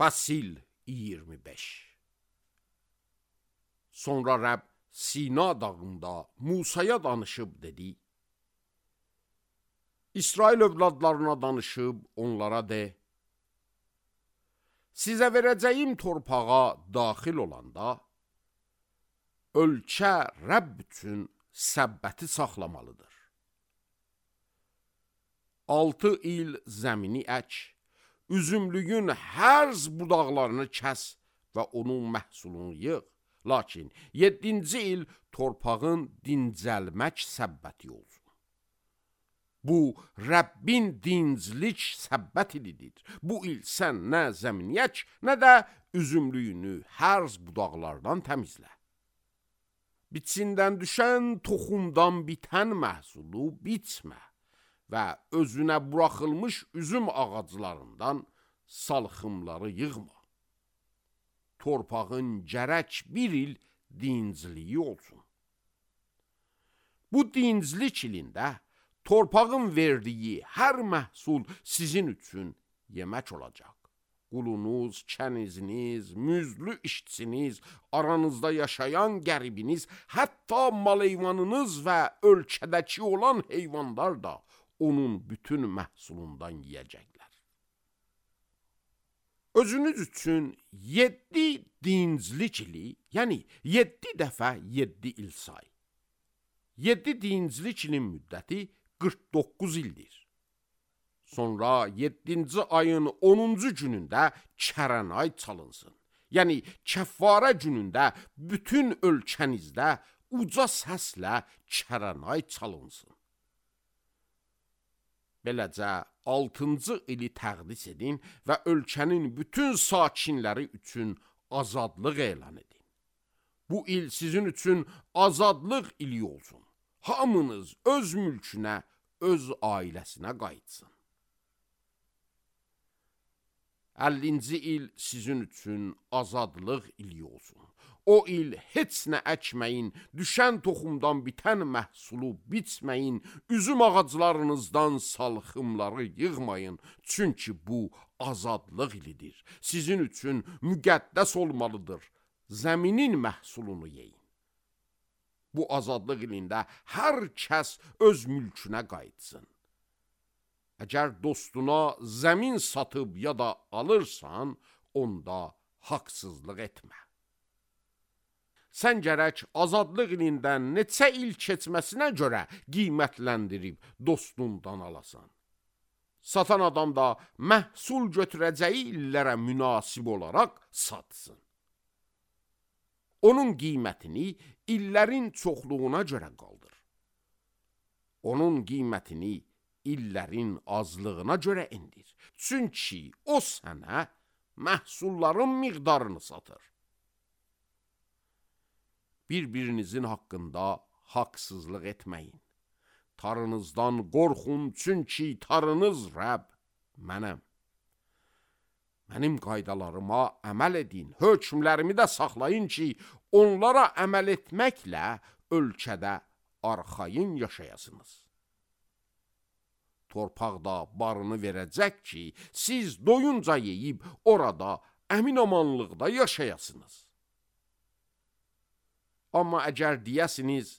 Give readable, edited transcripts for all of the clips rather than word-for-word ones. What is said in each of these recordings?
Fəsil 25. Sonra Rəbb Sina dağında Musaya danışıb dedi: İsrail övladlarına danışıb onlara de: Sizə verəcəyim torpağa daxil olanda, ölkə Rəbb üçün səbbəti saxlamalıdır. 6 il zəmini ək, üzümlüyün hərz budaqlarını kəs və onun məhsulunu yığ. Lakin 7-ci il torpağın dincəlmək səbbəti olsun. Bu, Rəbbin dinclik səbbət ilidir. Bu il sən nə zəmini ək, nə də üzümlüyünü hərz budaqlardan təmizlə. Biçindən düşən toxumdan bitən məhsulu bitmə və özünə buraxılmış üzüm ağaclarından salxımları yığma. Torpağın gərək bir il dincliyi olsun. Bu dinclik ilində torpağın verdiyi hər məhsul sizin üçün yemək olacaq. Qulunuz, kəniziniz, müzlü işçiniz, aranızda yaşayan qəribiniz, hətta mal-heyvanınız və ölkədəki olan heyvanlar da onun bütün məhsulundan yiyəcəklər. Özünüz üçün 7 dinclik ili, yəni 7 dəfə 7 il say. 7 dinclik ilin müddəti 49 ildir. Sonra 7-ci ayın 10-cu günündə kərənay çalınsın. Yəni kəffarə günündə bütün ölkənizdə uca səslə kərənay çalınsın. Beləcə 6-cı ili təqdis edin və ölkənin bütün sakinləri üçün azadlıq elan edin. Bu il sizin üçün azadlıq ili olsun. Hamınız öz mülkünə, öz ailəsinə qayıtsın. 50-ci il sizin üçün azadlıq ili olsun. O il heç nə əkməyin, düşən toxumdan bitən məhsulu biçməyin, üzüm ağaclarınızdan salxımları yığmayın. Çünki bu azadlıq ilidir. Sizin üçün müqəddəs olmalıdır. Zəminin məhsulunu yeyin. Bu azadlıq ilində hər kəs öz mülkünə qayıtsın. Əgər dostuna zəmin satıb ya da alırsan, onda haqsızlıq etmə. Sən gərək azadlıq ilindən neçə il keçməsinə görə qiymətləndirib dostundan alasan. Satan adam da məhsul götürəcəyi illərə münasib olaraq satsın. Onun qiymətini illərin çoxluğuna görə qaldır. Onun qiymətini illərin azlığına görə indir. Çünki o sənə məhsulların miqdarını satır. Bir-birinizin haqqında haqsızlıq etməyin. Tarınızdan qorxun, çünki tarınız Rəbb mənəm. Mənim qaydalarıma əməl edin, hökmlərimi də saxlayın ki, onlara əməl etməklə ölkədə arxayın yaşayasınız. Torpaqda barını verəcək ki, siz doyunca yeyib orada əmin-amanlıqda yaşayasınız. Amma əgər deyəsiniz,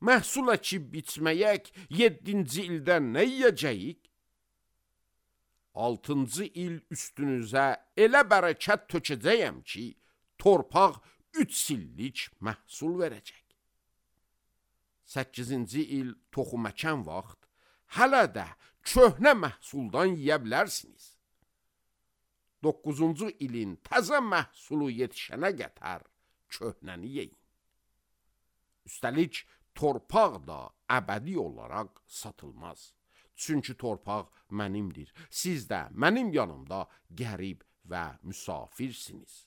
məhsul əkib biçməyək 7-ci ildə nə yiyəcəyik? 6-cı il üstünüzə elə bərəkət tökəcəyəm ki, torpaq 3 illik məhsul verəcək. 8-ci il toxum əkən vaxt, hələ də köhnə məhsuldan yiyə bilərsiniz. 9-cu ilin təzə məhsulu yetişənə qədər köhnəni yeyin. Üstəlik, torpaq da əbədi olaraq satılmaz. Çünki torpaq mənimdir. Siz də mənim yanımda qərib və müsafirsiniz.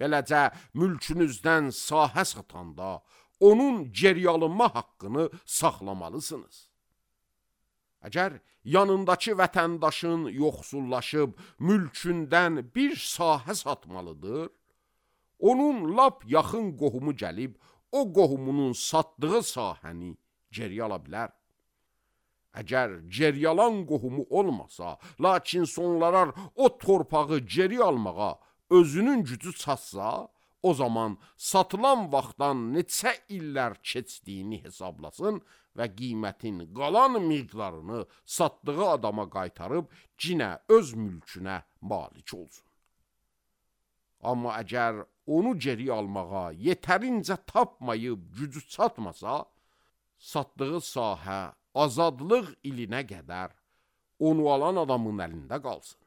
Beləcə, mülkünüzdən sahə satanda onun geri alınma haqqını saxlamalısınız. Əgər yanındakı vətəndaşın yoxsullaşıb mülkündən bir sahə satmalıdır, onun lap yaxın qohumu gəlib o qohumunun satdığı sahəni geri ala bilər. Əgər geri alan qohumu olmasa, lakin sonralar o torpağı geri almağa özünün gücü çatsa, o zaman satılan vaxtdan neçə illər keçdiyini hesablasın və qiymətin qalan miqdarını satdığı adama qaytarıb cinə öz mülkünə malik olsun. Amma əgər onu geri almağa yetərincə tapmayıb gücü çatmasa, satdığı sahə azadlıq ilinə qədər onu alan adamın əlində qalsın.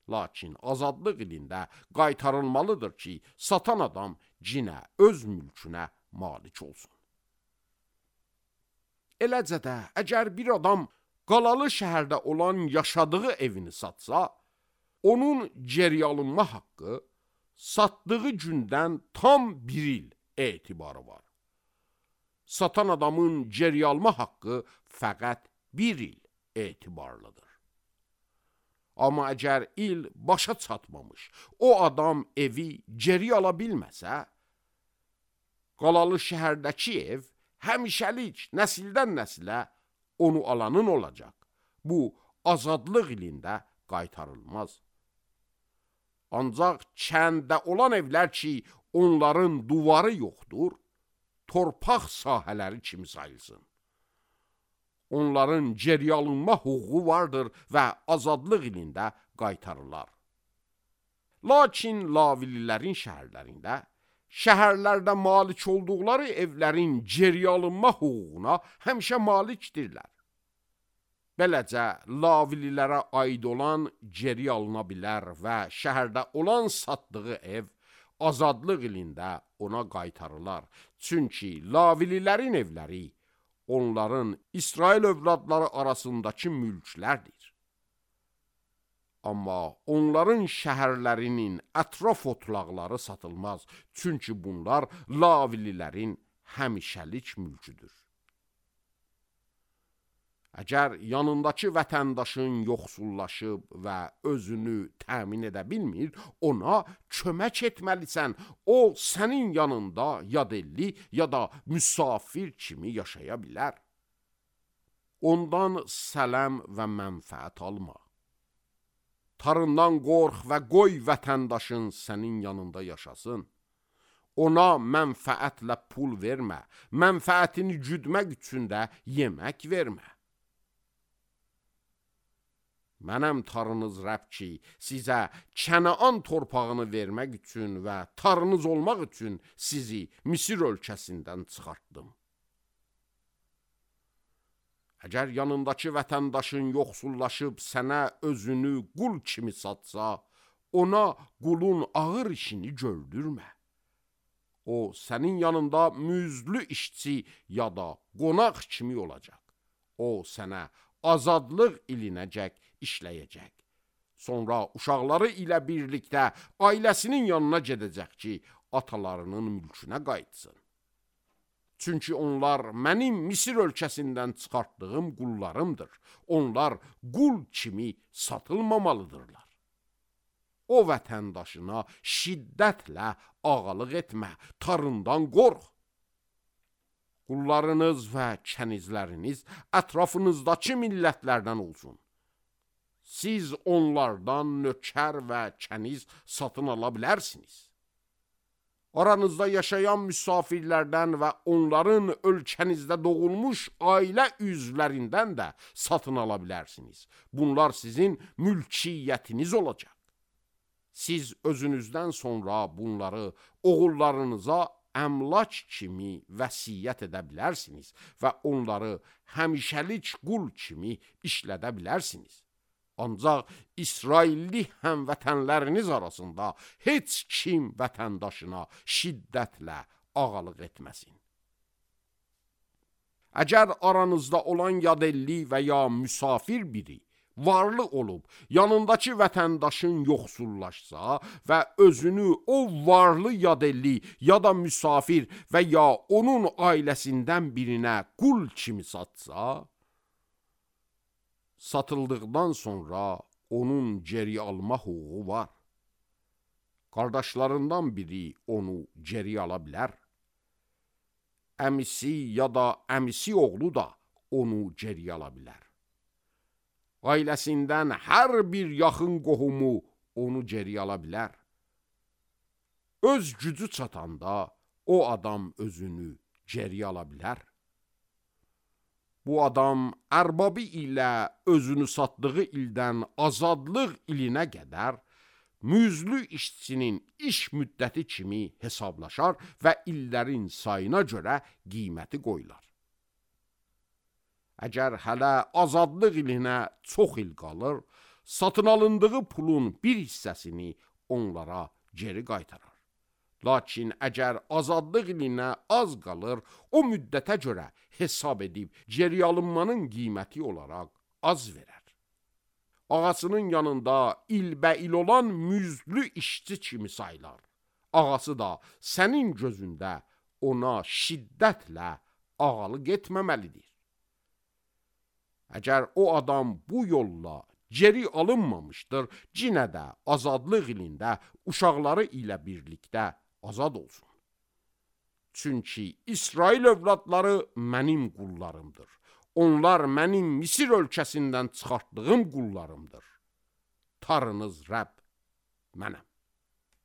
Lakin azadlıq ilində qaytarılmalıdır ki, satan adam cinə öz mülkünə malik olsun. Eləcə də, əgər bir adam qalalı şəhərdə olan yaşadığı evini satsa, onun geri alınma haqqı satdığı gündən tam 1 il etibarı var. Satan adamın geri alma haqqı fəqət 1 il etibarlıdır. Amma əgər il başa çatmamış, o adam evi geri ala bilməsə, qalalı şəhərdəki ev həmişəlik nəsildən nəsilə onu alanın olacaq. Bu, azadlıq ilində qaytarılmaz. Ancaq kəndə olan evlər ki, onların duvarı yoxdur, torpaq sahələri kimi sayılsın. Onların geri alınma hüququ vardır və azadlıq ilində qaytarırlar. Lakin lavililərin şəhərlərində, şəhərlərdə malik olduqları evlərin geri alınma hüququna həmişə malikdirlər. Beləcə, lavililərə aid olan geri alına bilər və şəhərdə olan satdığı ev azadlıq ilində ona qaytarırlar. Çünki lavililərin evləri onların İsrail övladları arasındakı mülklərdir. Amma onların şəhərlərinin ətraf otlaqları satılmaz. Çünki bunlar lavililərin həmişəlik mülküdür. Əgər yanındakı vətəndaşın yoxsullaşıb və özünü təmin edə bilmir, ona kömək etməlisən. O, sənin yanında yadelli ya da müsafir kimi yaşaya bilər. Ondan sələm və mənfəət alma. Tarından qorx və qoy vətəndaşın sənin yanında yaşasın. Ona mənfəətlə pul vermə, mənfəətini güdmək üçün də yemək vermə. Mənəm tarınız Rəbb ki, sizə Kənaan torpağını vermək üçün və tarınız olmaq üçün sizi Misir ölkəsindən çıxartdım. Əgər yanındakı vətəndaşın yoxsullaşıb sənə özünü qul kimi satsa, ona qulun ağır işini gördürmə. O, sənin yanında müzlü işçi ya da qonaq kimi olacaq. O, sənə azadlıq ilinəcək işləyəcək. Sonra uşaqları ilə birlikdə ailəsinin yanına gedəcək ki, atalarının mülkünə qayıtsın. Çünki onlar mənim Misir ölkəsindən çıxartdığım qullarımdır. Onlar qul kimi satılmamalıdırlar. O vətəndaşına şiddətlə ağalıq etmə, tarından qorx. Qullarınız və kənizləriniz ətrafınızdakı millətlərdən olsun. Siz onlardan nökər və kəniz satın ala bilərsiniz. Aranızda yaşayan müsafirlərdən və onların ölkənizdə doğulmuş ailə üzvlərindən də satın ala bilərsiniz. Bunlar sizin mülkiyyətiniz olacaq. Siz özünüzdən sonra bunları oğullarınıza əmlak kimi vəsiyyət edə bilərsiniz və onları həmişəlik qul kimi işlədə bilərsiniz. Ancaq İsrailli həmvətənləriniz arasında heç kim vətəndaşına şiddətlə ağalıq etməsin. Əgər aranızda olan yadelli və ya müsafir biri varlı olub, yanındakı vətəndaşın yoxsullaşsa və özünü o varlı yadelli ya da müsafir və ya onun ailəsindən birinə qul kimi satsa, satıldıqdan sonra onun geri alma hüququ var. Qardaşlarından biri onu geri ala bilər. Əmisi ya da əmisi oğlu da onu geri ala bilər. Ailəsindən hər bir yaxın qohumu onu geri ala bilər. Öz gücü çatanda o adam özünü geri ala bilər. Bu adam ərbabı ilə özünü satdığı ildən azadlıq ilinə qədər müzlü işçinin iş müddəti kimi hesablaşar və illərin sayına görə qiyməti qoyular. Əgər hələ azadlıq ilinə çox il qalır, satın alındığı pulun bir hissəsini onlara geri qaytarar. Lakin əgər azadlıq ilinə az qalır, o müddətə görə hesab edib geri alınmanın qiyməti olaraq az verər. Ağasının yanında ilbəil olan müzlü işçi kimi saylar. Ağası da sənin gözündə ona şiddətlə ağalıq etməməlidir. Əgər o adam bu yolla geri alınmamışdır, cinə də azadlıq ilində uşaqları ilə birlikdə azad olsun. Çünki İsrail övladları mənim qullarımdır. Onlar mənim Misir ölkəsindən çıxartdığım qullarımdır. Tarınız Rəbb mənəm.